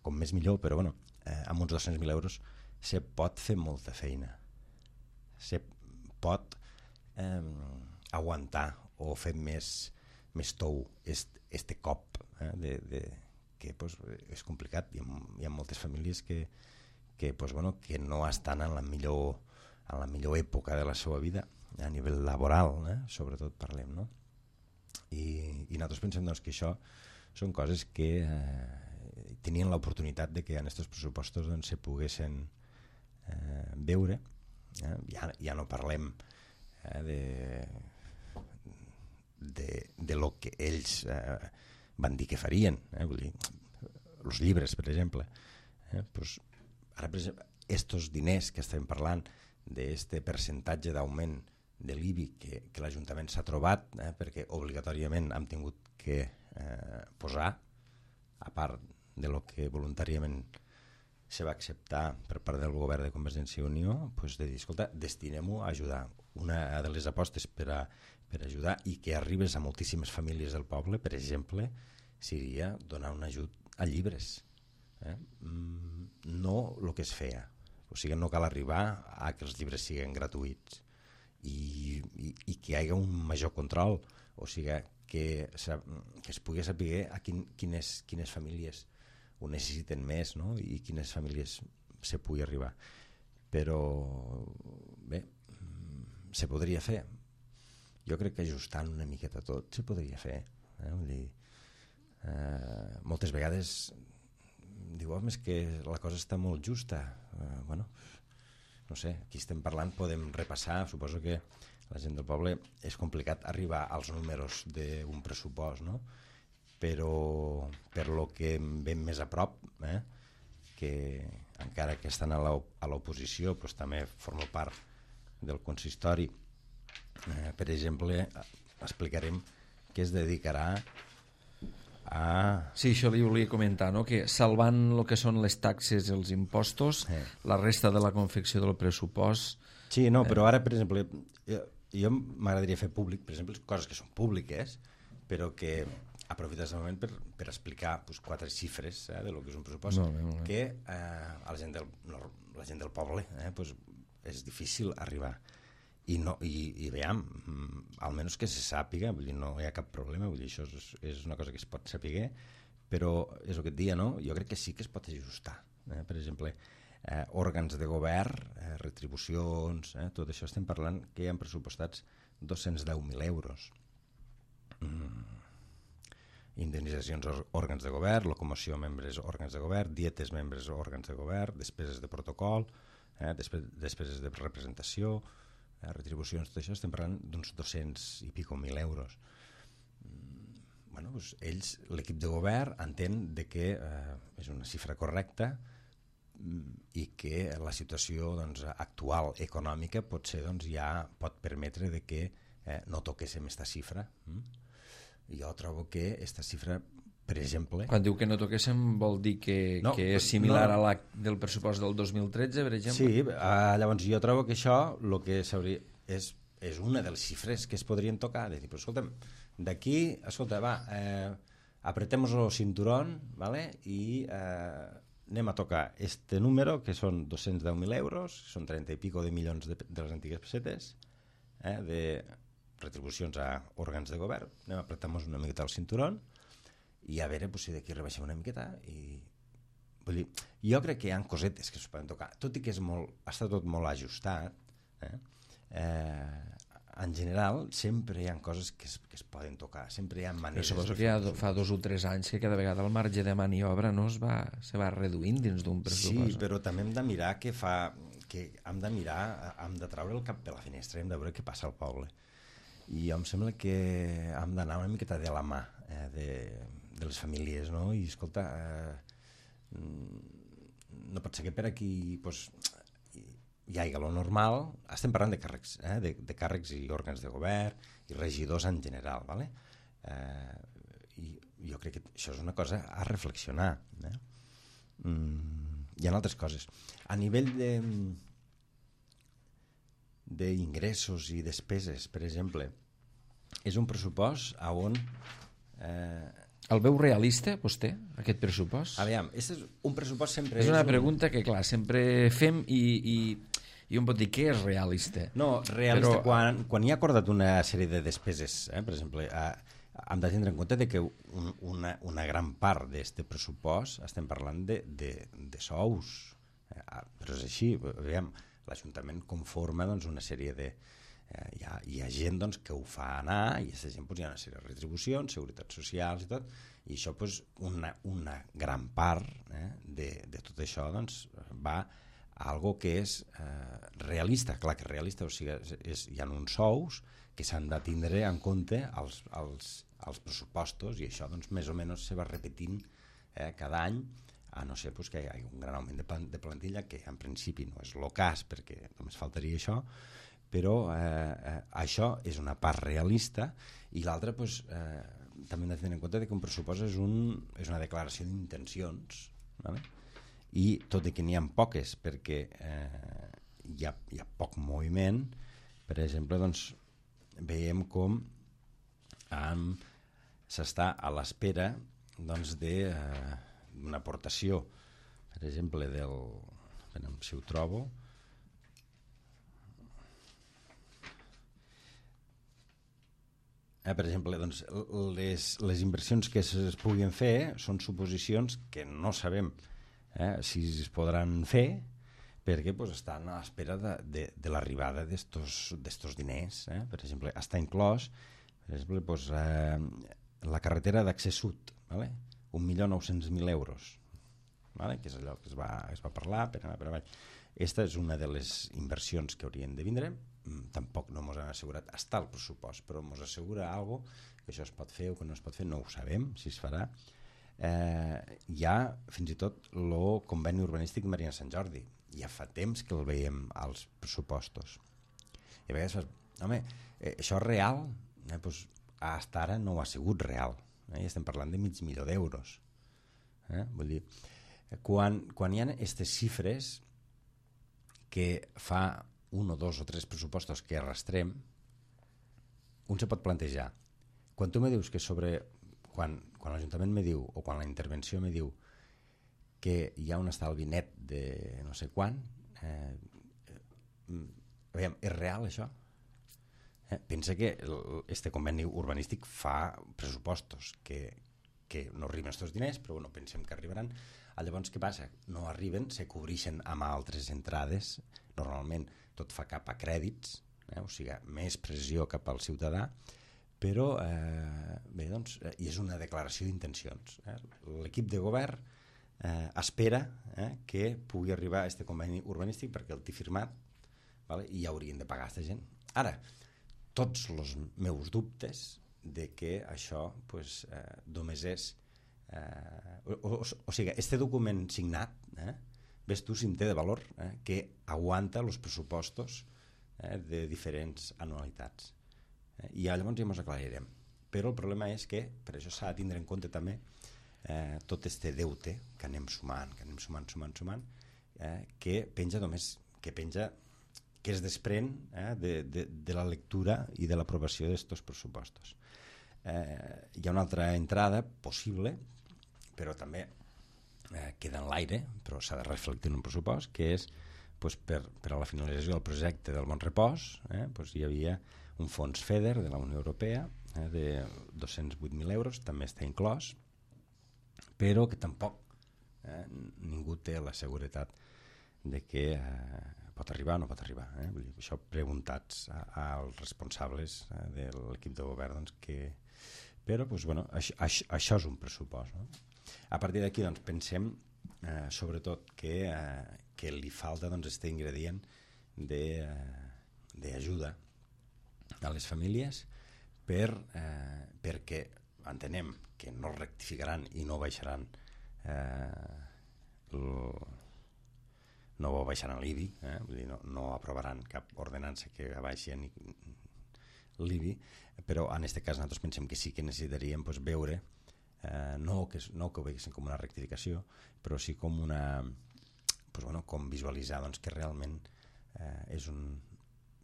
com més millor, però bueno, eh, amb uns dos-cents mil euros se pot fer molta feina, se pot eh, aguantar o fer més, més tou este, este cop eh? de, de, que pues, és complicat. Hi ha, hi ha moltes famílies que, que, pues, bueno, que no estan en la millor, en la millor època de la seva vida a nivell laboral, eh? Sobretot parlem, no? I, i nosaltres pensem doncs, que això són coses que eh, tenien l'oportunitat de que en aquests pressupostos doncs, se poguessin eh, veure. Eh? Ja, ja no parlem eh, de, de, de lo que ells eh, van dir que farien, eh? Vull dir, els llibres, per exemple. Eh? Pues, ara, per exemple, estos diners que estem parlant d'aquest percentatge d'augment de l'I B I que, que l'Ajuntament s'ha trobat, eh, perquè obligatòriament hem tingut que eh, posar, a part de lo que voluntàriament se va acceptar per part del govern de Convergència i Unió, pues de dir, escolta, destinem-ho a ajudar. Una de les apostes per, a, per ajudar i que arribes a moltíssimes famílies del poble, per exemple, seria donar un ajut a llibres. Eh? No el que es feia. O sigui, no cal arribar a que els llibres siguin gratuïts. I, i, i que hi hagi un major control, o sigui que, que es pugui saber a quin, quines, quines famílies ho necessiten més, no? I quines famílies se pugui arribar. Però bé, se podria fer. Jo crec que ajustant una miqueta tot se podria fer. Eh? Vull dir, eh, moltes vegades diu, home, és que la cosa està molt justa. Eh, bueno, no sé, aquí estem parlant, podem repassar, suposo que la gent del poble és complicat arribar als números d'un pressupost, no? Però per lo que ven més a prop, eh, que encara que estan a l'oposició, doncs també forma part del consistori, eh, per exemple, explicarem que es dedicarà a... Sí, això li volia comentar, no? Que salvant el que són les taxes i els impostos, eh. la resta de la confecció del pressupost... Sí, no, però ara, per exemple, jo, jo m'agradaria fer públic, per exemple, coses que són públiques, però que aprofites el moment per, per explicar pues, quatre xifres eh, de lo que és un pressupost, no, no, no. que eh, a la gent del, no, la gent del poble eh, pues, és difícil arribar. I, no, i, i veiem, almenys que se sàpiga, vull dir, no hi ha cap problema, vull dir, això és, és una cosa que es pot saber, però és el que et dia, no? Jo crec que sí que es pot ajustar. Eh? Per exemple, eh, òrgans de govern, eh, retribucions, eh, tot això estem parlant que hi ha pressupostats dos-cents deu mil euros. Mm. Indemnitzacions òrgans de govern, locomoció membres òrgans de govern, dietes membres òrgans de govern, despeses de protocol, eh, despeses de representació, eh, retribucions, tot això, estem parlant d'uns dos-cents i pico mil euros. Mm, bueno, doncs ells, l'equip de govern, entén de que eh, és una xifra correcta mm, i que la situació doncs, actual econòmica potser doncs, ja pot permetre de que eh, no toquéssim aquesta xifra. Mm? Jo trobo que aquesta xifra, per exemple... Quan diu que no toquéssim vol dir que, no, que és similar no, a la del pressupost del dos mil tretze, per exemple? Sí, uh, llavors jo trobo que això lo que s'hauria és, és una de les xifres que es podrien tocar. De dir, però escolta'm, d'aquí, escolta, va, eh, apretemos el cinturón, ¿vale? I eh, anem a tocar este número, que són dos-cents deu mil euros, són trenta i pico de milions de, de les antigues pessetes, eh, de retribucions a òrgans de govern, anem a apretar-nos una miqueta el cinturón, i a veure pues, si d'aquí rebaixem una miqueta i vull dir, jo crec que hi ha cosetes que es poden tocar, tot i que és molt, està tot molt ajustat eh? Eh, en general, sempre hi ha coses que es, que es poden tocar, sempre hi ha maneres... Però suposo que ja fa dos o tres anys que cada vegada el marge de maniobra no es va, se va reduint dins d'un pressupost. Sí, però també hem de mirar què fa... que hem de mirar, hem de treure el cap per la finestra, hem de veure què passa al poble. I em sembla que hem d'anar una miqueta de la mà eh, de, de les famílies, no? I escolta, eh, no pot ser que per aquí pues, hi hagi lo normal. Estem parlant de càrrecs, eh, de, de càrrecs i òrgans de govern i regidors en general, ¿vale? Eh, i jo crec que això és una cosa a reflexionar. Eh? Mm, hi ha altres coses. A nivell de d'ingressos i despeses, per exemple, és un pressupost on... Eh... El veu realista, vostè, aquest pressupost? Aviam, és un pressupost sempre... És una és pregunta un... que, clar, sempre fem i, i, i un pot dir què és realista. No, realista, Però... quan, quan hi ha acordat una sèrie de despeses, eh, per exemple, eh, hem de tindre en compte de que un, una, una gran part d'aquest pressupost estem parlant de, de, de sous, eh, però és així, aviam, l'Ajuntament conforma doncs, una sèrie de... Eh, hi, ha, hi ha gent doncs, que ho fa anar i aquesta gent doncs, hi ha una sèrie de retribucions, seguretats socials i tot, i això doncs, una, una gran part eh, de, de tot això doncs, va a algo que és eh, realista, clar que és realista, o sigui, és, és, hi ha uns sous que s'han de tindre en compte als, als, als pressupostos i això doncs, més o menys se va repetint eh, cada any, a no ser pues, que hi hagi un gran augment de, de plantilla, que en principi no és el cas, perquè només faltaria això, però eh, eh, això és una part realista, i l'altra pues, eh, també hem de tenir en compte que un pressupost és, un, és una declaració d'intencions, ¿vale? I tot i que n'hi ha poques, perquè eh, hi, ha, hi ha poc moviment, per exemple, doncs, veiem com um, s'està a l'espera doncs, de... Eh, una aportació, per exemple, del... Veiem si ho trobo. Eh, per exemple, doncs, les, les inversions que es puguin fer són suposicions que no sabem eh, si es podran fer, perquè pues, estan a l'espera de, de, de l'arribada d'estos diners. Eh? Per exemple, està inclòs per exemple, pues, eh, la carretera d'accés sud, ¿vale? un milió nou-cents mil euros, ¿vale? Que és allò que es va, es va parlar per anar per avall. Aquesta és una de les inversions que haurien de vindre, tampoc no ens han assegurat, està el pressupost, però ens assegura algo que això es pot fer o que no es pot fer, no ho sabem si es farà. Eh, hi ha fins i tot el conveni urbanístic Marina Sant Jordi, ja fa temps que el veiem als pressupostos. I a vegades fas, home, eh, això és real? Eh, doncs, fins ara no ho ha sigut real. Eh? Estem parlant de mig milió d'euros. Eh? Vull dir, quan, quan hi ha aquestes xifres que fa un o dos o tres pressupostos que arrastrem, un se pot plantejar. Quan tu me dius que sobre... Quan, quan l'Ajuntament me diu, o quan la intervenció me diu que hi ha un estalvi net de no sé quan, eh, eh, veiem, és real això? Eh, pensa que este conveni urbanístic fa pressupostos que, que no arriben aquests diners, però bueno, pensem que arribaran. Llavors què passa? No arriben, se cobreixen amb altres entrades, normalment tot fa cap a crèdits, eh? O sigui, més pressió cap al ciutadà, però eh, bé, doncs, eh, i és una declaració d'intencions. Eh? L'equip de govern eh, espera eh, que pugui arribar a aquest conveni urbanístic perquè el té firmat, vale? I ja haurien de pagar aquesta gent. Ara, tots els meus dubtes de que això pues, eh, només és... Eh, o, o, o sigui, este document signat, eh, ves tu si en té de valor, eh, que aguanta els pressupostos eh, de diferents anualitats. Eh, I llavors ja ens aclarirem. Però el problema és que per això s'ha de tindre en compte també eh, tot este deute que anem sumant, que anem sumant, sumant, sumant, eh, que penja només, que penja... que es desprèn eh, de, de, de la lectura i de l'aprovació d'aquests pressupostos. Eh, hi ha una altra entrada possible, però també eh, queda en l'aire, però s'ha de reflectir en un pressupost, que és pues, per, per a la finalització del projecte del Bon Repòs, eh, pues, hi havia un fons FEDER de la Unió Europea eh, de dos-cents vuit mil euros, també està inclòs, però que tampoc eh, ningú té la seguretat de que eh, pot arribar o no pot arribar. Eh? Vull dir, això preguntats a, als responsables eh, de l'equip de govern, doncs, que... però doncs, bueno, això, això, això és un pressupost. No? A partir d'aquí doncs, pensem eh, sobretot que, eh, que li falta doncs, este ingredient d'ajuda eh, a les famílies per, eh, perquè entenem que no rectificaran i no baixaran eh, el, no baixaran l'I B I, eh? Vull dir, no, no aprovaran cap ordenança que baixi l'I B I, però en aquest cas nosaltres pensem que sí que necessitaríem pues, veure, eh, no, que, no que ho veiessin com una rectificació, però sí com una, pues, bueno, com visualitzar doncs, que realment eh, és un,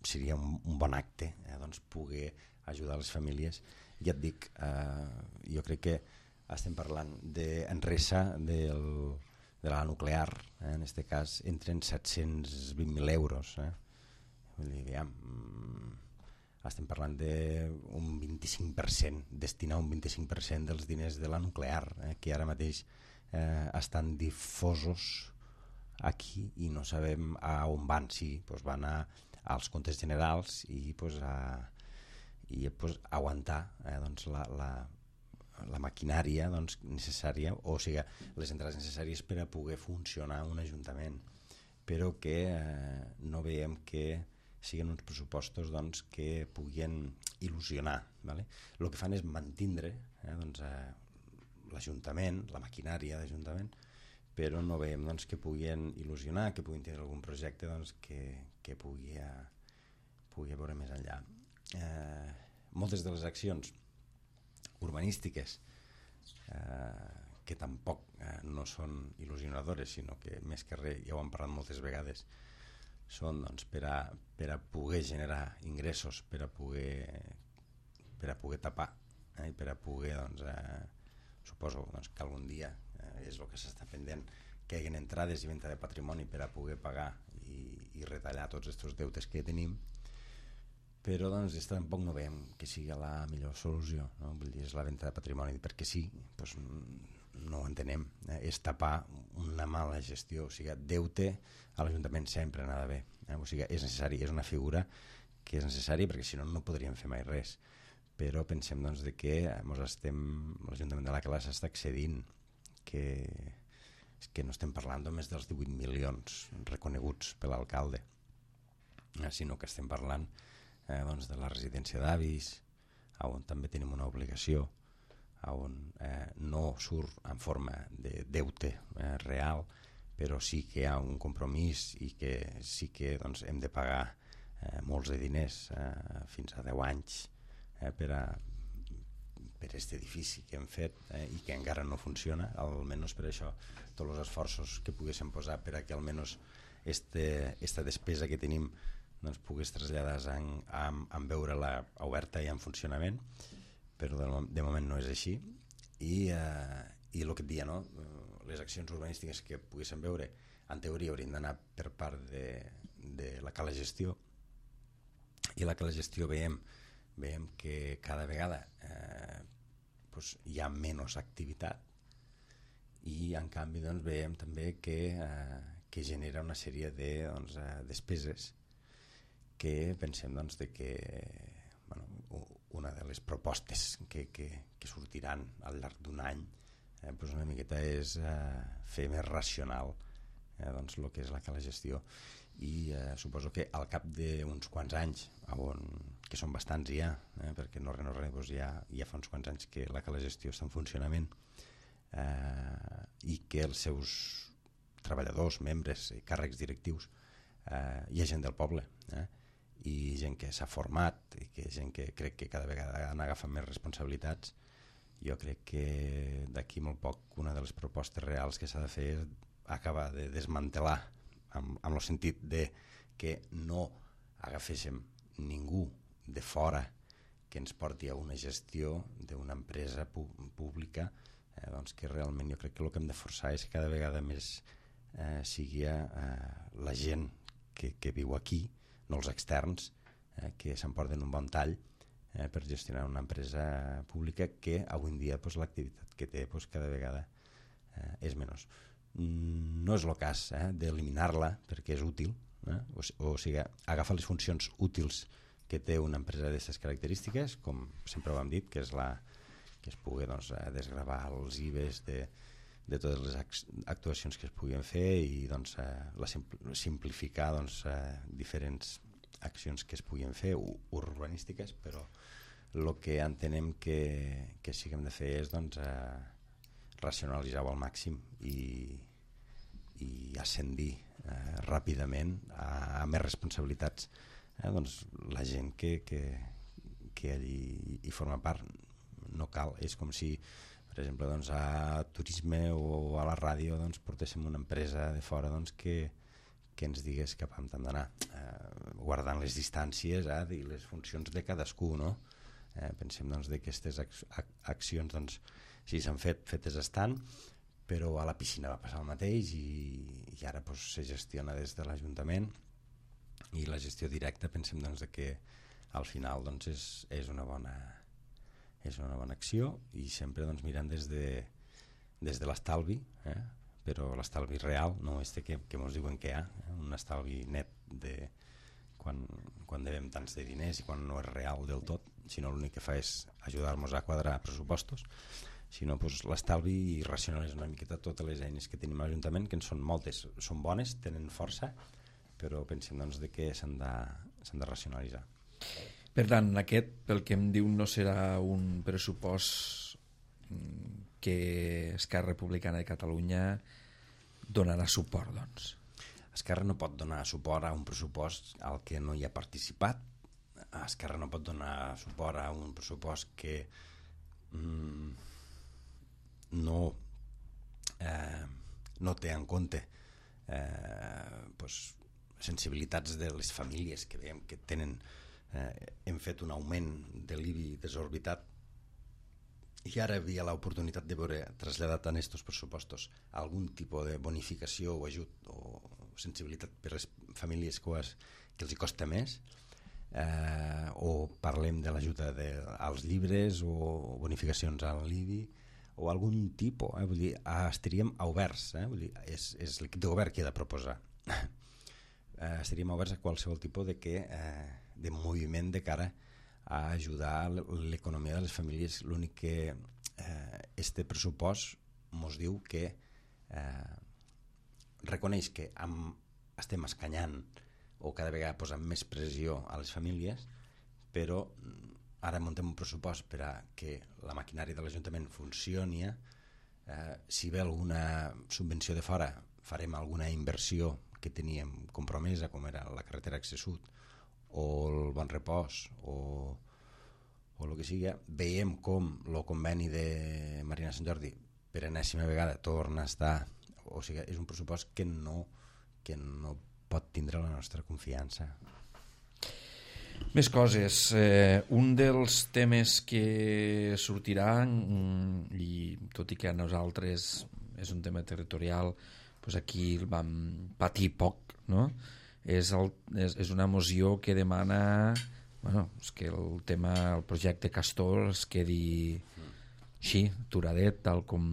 seria un, un bon acte eh, doncs, poder ajudar les famílies. Ja et dic, eh, jo crec que estem parlant d'Enresa, del, de la nuclear, eh, en aquest cas entren set-cents vint mil euros. Eh? Vull dir, ja, mm, estem parlant d'un vint-i-cinc per cent, destinar un vint-i-cinc per cent dels diners de la nuclear, eh, que ara mateix eh, estan difosos aquí i no sabem a on van. Sí, doncs van a, als comptes generals i, doncs, a, i doncs, aguantar eh, doncs, la, la, la maquinària doncs, necessària, o sigui, les entrades necessàries per a poder funcionar un ajuntament, però que eh, no veiem que siguin uns pressupostos doncs, que puguin il·lusionar. ¿Vale? El que fan és mantindre eh, doncs, eh, l'Ajuntament, la maquinària d'Ajuntament, però no veiem doncs, que puguin il·lusionar, que puguin tenir algun projecte doncs, que, que pugui, eh, pugui veure més enllà. Eh, moltes de les accions urbanístiques eh, que tampoc eh, no són il·lusionadores, sinó que més que res, ja ho hem parlat moltes vegades, són doncs, per, a, per a poder generar ingressos, per a poder, per a poder tapar eh, i per a poder doncs, eh, suposo doncs, que algun dia eh, és el que s'està pendent, que hi hagin entrades i venda de patrimoni per a poder pagar i, i retallar tots aquests deutes que tenim, però doncs, tampoc no veiem que sigui la millor solució, no? Vull dir, és la venda de patrimoni perquè sí, doncs, no ho entenem, eh? És tapar una mala gestió, o sigui, deute a l'Ajuntament sempre anava bé, eh? O sigui, és necessari, és una figura que és necessària perquè si no no podríem fer mai res, però pensem doncs, de que l'Ajuntament de la Cala s'està excedint, que, que no estem parlant només dels divuit milions reconeguts per l'alcalde, eh? Sinó que estem parlant eh, doncs, de la residència d'avis, on també tenim una obligació, on eh, no surt en forma de deute eh, real, però sí que hi ha un compromís i que sí que doncs, hem de pagar eh, molts de diners, eh, fins a deu anys, eh, per a per aquest edifici que hem fet eh, i que encara no funciona, almenys per això tots els esforços que poguéssim posar per a que almenys este, esta despesa que tenim doncs, pogués traslladar en, en, en veure-la oberta i en funcionament, però de, de moment no és així. I, eh, i el que et dia, no? Les accions urbanístiques que poguéssim veure, en teoria haurien d'anar per part de, de la Cala Gestió, i la Cala Gestió veiem, veiem que cada vegada eh, doncs, hi ha menys activitat i en canvi doncs, veiem també que, eh, que genera una sèrie de doncs, eh, despeses que pensem doncs, de que bueno, una de les propostes que, que, que sortiran al llarg d'un any eh, doncs una miqueta és eh, fer més racional eh, doncs, el que és la Cala Gestió i eh, suposo que al cap d'uns quants anys on, que són bastants ja eh, perquè no res no res doncs ja, ja fa uns quants anys que la Cala Gestió està en funcionament eh, i que els seus treballadors, membres i càrrecs directius eh, hi ha gent del poble eh, i gent que s'ha format i que gent que crec que cada vegada han agafat més responsabilitats. Jo crec que d'aquí molt poc una de les propostes reals que s'ha de fer és acabar de desmantelar amb, amb el sentit de que no agaféssim ningú de fora que ens porti a una gestió d'una empresa pu pública eh, doncs que realment jo crec que el que hem de forçar és que cada vegada més eh, sigui eh, la gent que, que viu aquí, no els externs, eh, que s'emporten un bon tall eh, per gestionar una empresa pública que avui en dia pues, l'activitat que té pues, cada vegada eh, és menys. No és el cas eh, d'eliminar-la perquè és útil, eh? o, o sigui, agafa les funcions útils que té una empresa d'aquestes característiques, com sempre ho hem dit, que és la que es pugui doncs, desgravar els I B E S de, de totes les actuacions que es puguin fer i doncs, la simplificar doncs, diferents accions que es puguin fer urbanístiques, però el que entenem que, que sí que hem de fer és doncs, racionalitzar-ho al màxim i, i ascendir eh, ràpidament a, a més responsabilitats. Eh, doncs, la gent que, que, que allí hi forma part no cal, és com si per exemple doncs, a turisme o a la ràdio doncs, portéssim una empresa de fora doncs, que, que ens digués cap on hem d'anar, eh, guardant les distàncies eh, i les funcions de cadascú, no? Eh, pensem doncs, que aquestes ac accions doncs, sí s'han fet, fetes estan, però a la piscina va passar el mateix i, i ara doncs, se gestiona des de l'Ajuntament i la gestió directa pensem doncs, que al final doncs, és, és, una bona, és una bona acció i sempre doncs, mirant des de, des de l'estalvi, eh? Però l'estalvi real, no este que, que ens diuen que hi ha, eh? Un estalvi net de quan, quan devem tants de diners i quan no és real del tot, sinó l'únic que fa és ajudar-nos a quadrar pressupostos, sinó doncs, l'estalvi i racionalitzar una miqueta totes les eines que tenim a l'Ajuntament, que en són moltes, són bones, tenen força, però pensem doncs, de que s'han de, s'han de racionalitzar. Per tant, aquest, pel que em diu, no serà un pressupost que Esquerra Republicana de Catalunya donarà suport, doncs. Esquerra no pot donar suport a un pressupost al que no hi ha participat. Esquerra no pot donar suport a un pressupost que mm, no, eh, no té en compte eh, pues, sensibilitats de les famílies que veiem que tenen. Eh, hem fet un augment de l'I B I desorbitat i ara hi havia l'oportunitat de veure traslladat en aquests pressupostos algun tipus de bonificació o ajut o sensibilitat per les famílies que, has, que els hi costa més, eh, o parlem de l'ajuda als llibres o bonificacions a l'I B I o algun tipus, eh, vull dir, estaríem oberts, eh, vull dir, és, és l'equip de govern qui ha de proposar. eh, estaríem oberts a qualsevol tipus de, que, eh, de moviment de cara a ajudar l'economia de les famílies. L'únic que eh, este pressupost ens diu que eh, reconeix que amb, estem escanyant o cada vegada posant més pressió a les famílies, però ara muntem un pressupost per a que la maquinària de l'Ajuntament funcioni. Eh, si ve alguna subvenció de fora, farem alguna inversió que teníem compromesa, com era la carretera Accés Sud o el Bon Repòs o, o el que sigui. Veiem com el conveni de Marina Sant Jordi per enèsima vegada torna a estar, o sigui, és un pressupost que no, que no pot tindre la nostra confiança. Més coses. Eh, un dels temes que sortirà, i tot i que a nosaltres és un tema territorial, doncs aquí el vam patir poc, no? És, el, és, és una moció que demana bueno, és que el tema, el projecte Castor es quedi així, aturadet, tal com,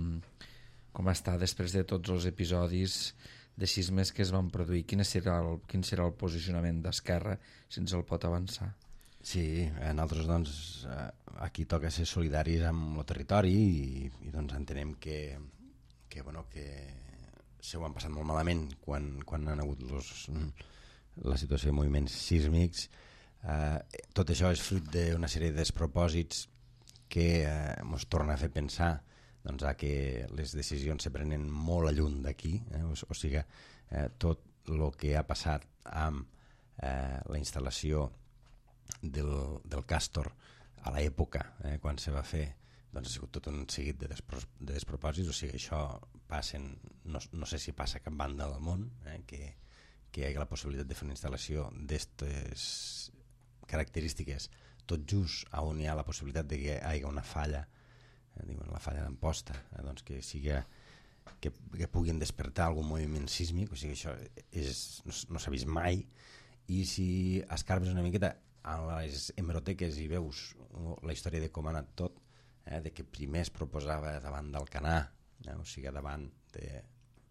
com està després de tots els episodis de sismes que es van produir. Quin serà el, quin serà el posicionament d'Esquerra si ens el pot avançar? Sí, a nosaltres doncs, aquí toca ser solidaris amb el territori i, i doncs entenem que, que, bueno, que se ho han passat molt malament quan, quan han hagut los, la situació de moviments sísmics. Eh, tot això és fruit d'una sèrie de despropòsits que eh, ens torna a fer pensar doncs, a que les decisions se prenen molt a lluny d'aquí, eh? o, o sigui, eh, tot el que ha passat amb eh, la instal·lació del, del Castor a l'època, eh, quan se va fer, doncs ha sigut tot un seguit de, despro de despropòsits, o sigui, això passen, no, no sé si passa a cap banda del món, eh, que, que hi hagi la possibilitat de fer una instal·lació d'aquestes característiques, tot just on hi ha la possibilitat de que hi hagi una falla, eh, diuen la falla d'Amposta, eh, doncs que sigui que, que puguin despertar algun moviment sísmic, o sigui, això és, no, no s'ha vist mai. I si escarbes una miqueta a les hemeroteques i veus la història de com ha anat tot, eh, de que primer es proposava davant d'Alcanar, eh, o sigui, davant de,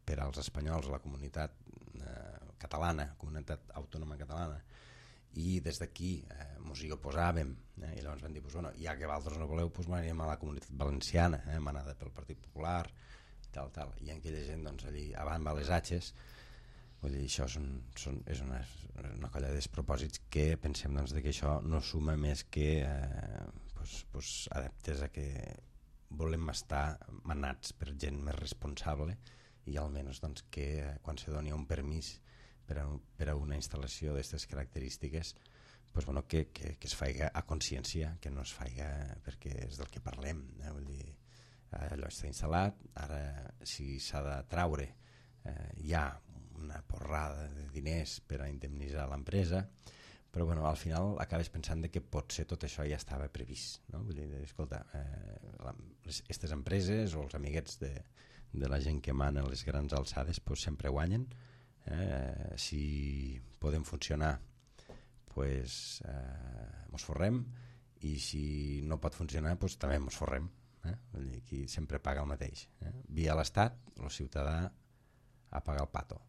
per als espanyols, la comunitat eh, catalana, comunitat autònoma catalana, i des d'aquí eh, mos hi oposàvem, eh, i llavors van dir, pues, bueno, ja que vosaltres no voleu, pues, anirem a la comunitat valenciana, eh, manada pel Partit Popular, i tal, tal, i aquella gent doncs, allí avant va les atxes. Vull dir, això són, són, és una, una colla de despropòsits que pensem doncs, que això no suma més que eh, pues, pues, adeptes a que volem estar manats per gent més responsable i almenys doncs, que eh, quan se doni un permís per a, per a una instal·lació d'aquestes característiques pues, bueno, que, que, que es faiga a consciència, que no es faiga perquè és del que parlem, eh? Vull dir, allò està instal·lat, ara si s'ha de traure eh, hi ha una porrada de diners per a indemnitzar l'empresa, però bueno, al final acabes pensant que potser tot això ja estava previst, no? Vull dir, escolta, aquestes eh, empreses o els amiguets de, de la gent que mana les grans alçades pues, sempre guanyen, eh, si podem funcionar pues, eh, mos forrem, i si no pot funcionar pues, també mos forrem, eh? Vull dir, aquí sempre paga el mateix, eh? Via l'Estat, el ciutadà a pagar el pato.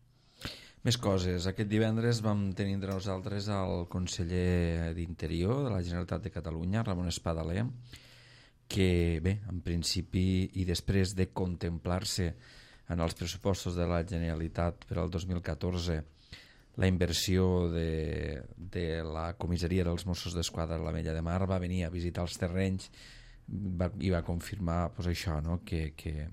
Més coses. Aquest divendres vam tenir entre nosaltres el conseller d'Interior de la Generalitat de Catalunya, Ramon Espadaler, que, bé, en principi i després de contemplar-se en els pressupostos de la Generalitat per al dos mil catorze la inversió de, de la comissaria dels Mossos d'Esquadra a l'Ametlla de Mar, va venir a visitar els terrenys va, i va confirmar pues, això, no? que... que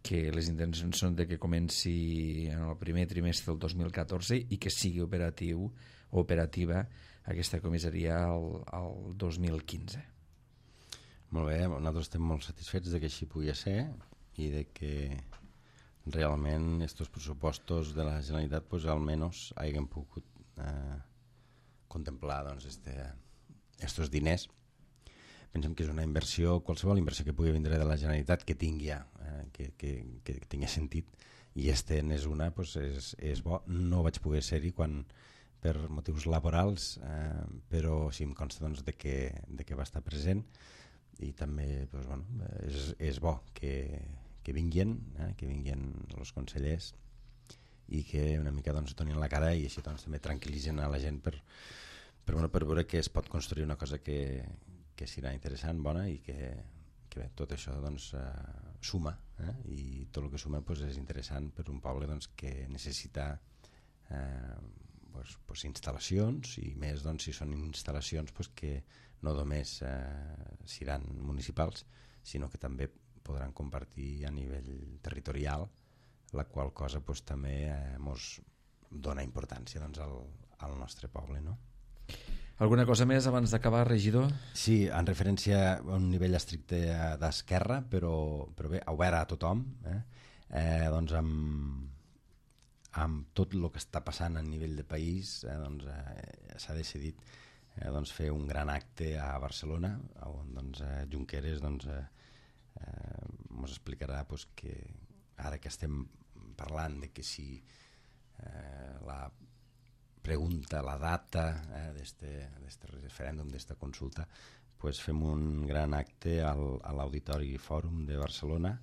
que les intencions són de que comenci en el primer trimestre del dos mil catorze i que sigui operatiu o operativa aquesta comissaria al, al dos mil quinze. Molt bé, nosaltres estem molt satisfets de que així pugui ser i de que realment estos pressupostos de la Generalitat pues, almenys hagin pogut eh, contemplar doncs, este, estos diners. Pensem que és una inversió, qualsevol inversió que pugui vindre de la Generalitat que tingui, eh, que, que, que tingui sentit, i este n'és una, pues és, és bo. No vaig poder ser-hi quan per motius laborals, eh, però sí em consta doncs, de, que, de que va estar present, i també pues, bueno, és, és bo que, que vinguin, eh, que vinguin els consellers i que una mica doncs, donin la cara i així doncs, també tranquil·litzen a la gent per, per, bueno, per veure que es pot construir una cosa que que serà interessant, bona, i que, que bé, tot això doncs, uh, suma, eh? I tot el que suma pues, és interessant per un poble doncs, que necessita eh, pues, pues, instal·lacions, i més doncs, si són instal·lacions pues, que no només eh, seran municipals, sinó que també podran compartir a nivell territorial, la qual cosa pues, també eh, mos dona importància doncs, al, al nostre poble, no? Alguna cosa més abans d'acabar, regidor? Sí, en referència a un nivell estricte d'esquerra, però, però bé, obert a tothom, eh? Eh, doncs amb, amb tot el que està passant a nivell de país, eh, doncs, eh, s'ha decidit eh, doncs, fer un gran acte a Barcelona, on doncs, eh, Junqueras doncs, eh, eh, ens explicarà pues, que ara que estem parlant de que si eh, la pregunta, la data eh, d'aquest referèndum, d'aquesta consulta, pues fem un gran acte al, a l'Auditori Fòrum de Barcelona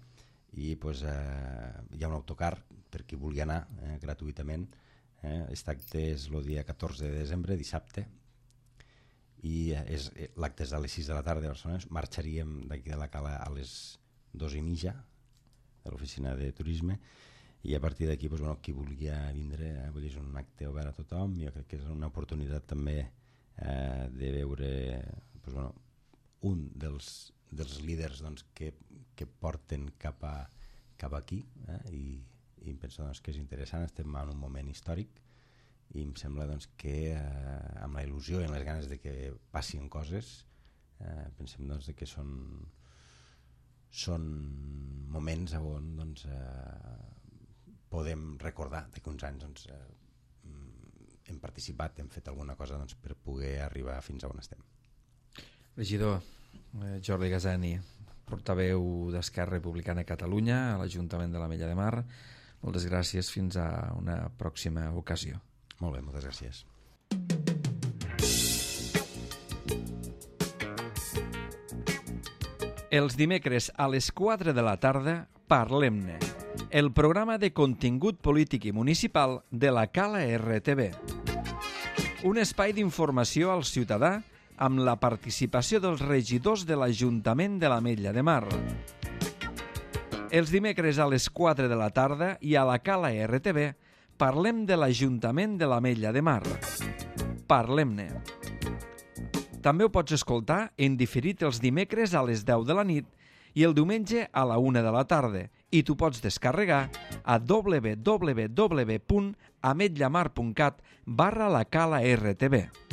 i pues, eh, hi ha un autocar per qui vulgui anar eh, gratuïtament. Eh. Aquest acte és el dia catorze de desembre, dissabte, i és, l'acte és a les sis de la tarda de Barcelona. Marxaríem d'aquí de la Cala a les dos i mitja de l'oficina de turisme, i a partir d'aquí pues, bueno, qui vulgui vindre, eh, vull dir, és un acte obert a tothom. Jo crec que és una oportunitat també eh, de veure pues, bueno, un dels, dels líders doncs, que, que porten cap, a, cap aquí, eh, i, i em penso doncs, que és interessant. Estem en un moment històric i em sembla doncs, que eh, amb la il·lusió i amb les ganes de que passin coses, eh, pensem doncs, que són, són moments on doncs, eh, podem recordar que uns anys doncs, eh, hem participat, hem fet alguna cosa doncs, per poder arribar fins a on estem. Regidor eh, Jordi Gazani, portaveu d'Esquerra Republicana a Catalunya a l'Ajuntament de l'Ametlla de Mar, moltes gràcies, fins a una pròxima ocasió. Molt bé, moltes gràcies. Els dimecres a les quatre de la tarda, parlem-ne. el programa de contingut polític i municipal de la Cala R T V. Un espai d'informació al ciutadà amb la participació dels regidors de l'Ajuntament de l'Ametlla de Mar. Els dimecres a les quatre de la tarda i a la Cala R T V parlem de l'Ajuntament de l'Ametlla de Mar. Parlem-ne. També ho pots escoltar en diferit els dimecres a les deu de la nit i el diumenge a la una de la tarda, i tu pots descarregar a w w w punt ametllamar punt cat barra la cala R T V.